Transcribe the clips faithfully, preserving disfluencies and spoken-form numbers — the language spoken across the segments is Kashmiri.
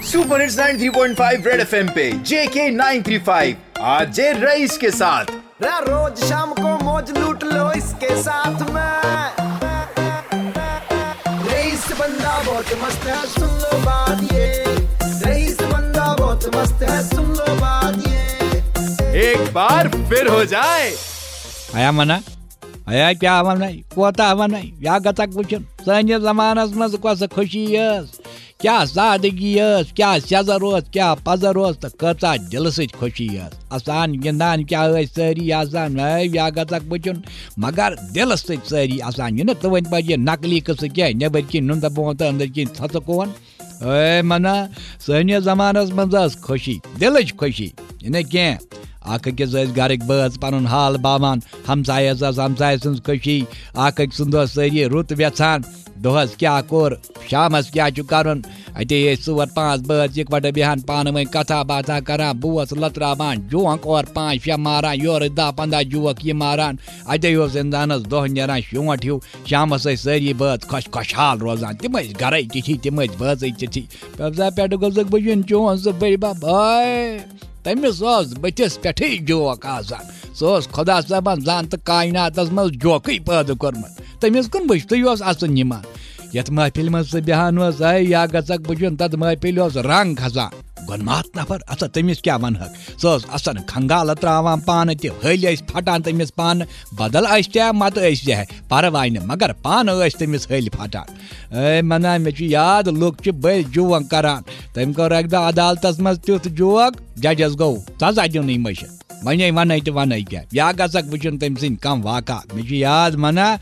Super hits ninety three point five red FM पे JK nine three five, RJ Rais के साथ। रा-, रोज शाम को मौज लूट लो इसके साथ में। रईस बंदा बहुत मस्त है, सुन लो बात ये। रईस बंदा बहुत मस्त है, सुन लो बात ये। एक बार फिर हो जाए। आया मना, आया क्या मना, कोता मना, या गतक वुचन। सैन्य जमानस मज कस खुशी यस। کیٛاہ سادگی ٲس، کیٛاہ سیٚزر اوس، کیٛاہ پزر اوس تہٕ کۭژاہ دِلہٕ سۭتۍ خوشی ٲس۔ اَسان گِنٛدان کیٛاہ ٲسۍ سٲری آسان، ہے یا گژھکھ وٕچھُن، مگر دِلہٕ سۭتۍ سٲری آسان۔ یہِ نہٕ تُہٕنٛدۍ پٲٹھۍ یہِ نقلی قٕصہٕ کینٛہہ، نیٚبٕرۍ کِنۍ نُنٛدٕ بونٛتہٕ، أنٛدٕرۍ کِنۍ ژھۄژٕ کوٗن۔ اے منا، سٲنِس زمانس منٛز ٲس خوشی، دِلٕچ خوشی، یہِ نہٕ کینٛہہ۔ اکھ أکِس ٲسۍ گرٕکۍ بٲژ پنُن حال باوان، ہمسایس ٲس ہمسایہِ سٕنٛز خوشی، اکھ أکۍ سُنٛد اوس سٲری رُت ویژھان۔ دۄہس کیٛاہ کوٚر، شامس کیٛاہ چھُ کرُن۔ اتے ٲسۍ ژور پانٛژھ بٲژ یِکوٹہٕ بیٚہان، پانہٕ ؤنۍ کتھا باتھا کران، بوس لتراوان، جونک اورٕ پانٛژھ شےٚ ماران، یورٕ دَہ پنٛداہ جوک یہِ ماران۔ اتے اوس انسانس دۄہ نیران شونٛٹھ ہیوٗ۔ شامس ٲسۍ سٲری بٲژ خۄش خۄشحال روزان۔ تِم ٲسۍ گرے تِتھی، تِم ٲسۍ بٲژٕے تِتھی۔ پبزا پٮ۪ٹھٕ گوٚژھُکھ بہٕ یُن چون سُہ بٔڈۍ بب۔ ہاے، تٔمِس اوس بٕتھِس پٮ۪ٹھٕے جوک آسان۔ سُہ اوس خۄدا صٲبن زن تہٕ کایناتس منٛز جوکٕے پٲدٕ کوٚرمُت۔ تٔمِس کُن وٕچھتٕے اوس اَژُن یِوان۔ یَتھ محفِلہِ منٛز سُہ بیٚہان اوس، ہے، یا گژھکھ بہٕ چھُن، تَتھ محفِلہِ اوس رنٛگ کھسان۔ گۄنماتھ نفر، اَژا تٔمِس کیٛاہ وَنہَکھ؟ سُہ اوس اَژان کھنٛگالہٕ ترٛاوان پانہٕ تہِ، ۂلۍ ٲسۍ پھٹان تٔمِس پانہٕ، بدل آسہِ تہِ ہا، مَتہٕ ٲسۍ تہِ ہا، پَرواے نہٕ، مگر پانہٕ ٲسۍ تٔمِس ۂلۍ پھٹان۔ اے منا، مےٚ چھُ یاد، لُکھ چھِ بٔلۍ جوک کران۔ تٔمۍ کوٚر اَکہِ دۄہ عدالتس منٛز تیُتھ جوک، ججس گوٚو سزا دیُنٕے مٔشِتھ۔ وۄنۍ وَنَے تہٕ وَنَے کیٛاہ؟ یا گژھکھ وٕچھُن تٔمۍ سٕنٛدۍ کم واقعہ۔ مےٚ چھُ یاد منا،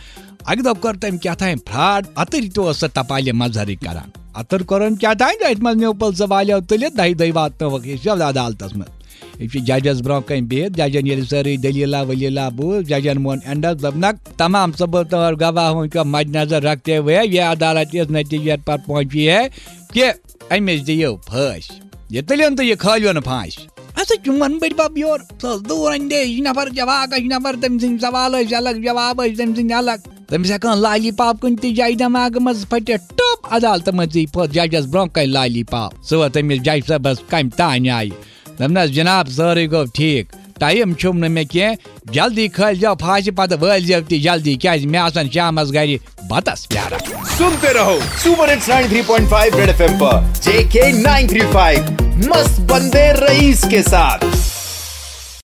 اَکہِ دۄہ کوٚر تٔمۍ کیٛاہ تام فراڈ، اَتٕرۍ تہِ اوس سُہ تپالہِ مظہرٕے کران۔ اَتٕر کوٚرُن کیٛاہ تام، أتھۍ منٛز نیوٗ پُلسہٕ والیو تُلِتھ، دَہہِ دۄہہِ واتنٲوٕکھ أسۍ یَتھ عدالتس منٛز۔ یہِ چھُ ججس برونٛہہ کنہِ بِہِتھ، ججن ییٚلہِ سٲرٕے دٔلیٖلہ ؤلیٖلہ بوٗز، ججن ووٚن اینڈس، دوٚپنکھ، تمام ثبوٗت اور گواہوں کو مد نظر رکھتے ہوئے یہ عدالت اس نتیجے پر پہنچی ہے کہ أمِس دِیِو پھٲسۍ۔ یہِ تُلِن تہٕ یہِ کھٲلِن پھانٛسہِ۔ اَسا چون بٔڈۍ بب یور، سُہ اوس دوٗر اندیش نفر، جواکش نفر، تٔمۍ سٕنٛدۍ سوال ٲسۍ الگ، جواب ٲسۍ تٔمۍ سٕنٛدۍ الگ۔ تٔمِس ہٮ۪کان لالی پاپ کُنہِ تہِ جایہِ دٮ۪ماغہٕ منٛز پھٔٹِتھ، ٹوٚپ عدالتہٕ منٛزٕے پھٔٹ ججس برونٛہہ کنہِ لالی پاپ۔ سُہ ووت تٔمِس جج صٲبس کمہِ تانۍ آیہِ۔ دوٚپنس، جناب، سورُے گوٚو ٹھیٖک، ٹایم چھُم نہٕ مےٚ کینٛہہ، جلدی کھٲلۍ زیو پھاسہِ، پتہٕ وٲلۍ زیو تہِ جلدی، کیازِ مےٚ آسن شامس گرِ بتس پیاران۔ सुनते रहो super hits ninety three point five red FM पर जेके नाइन थ्री फ़ाइव, मस्त बंदे रईस के साथ।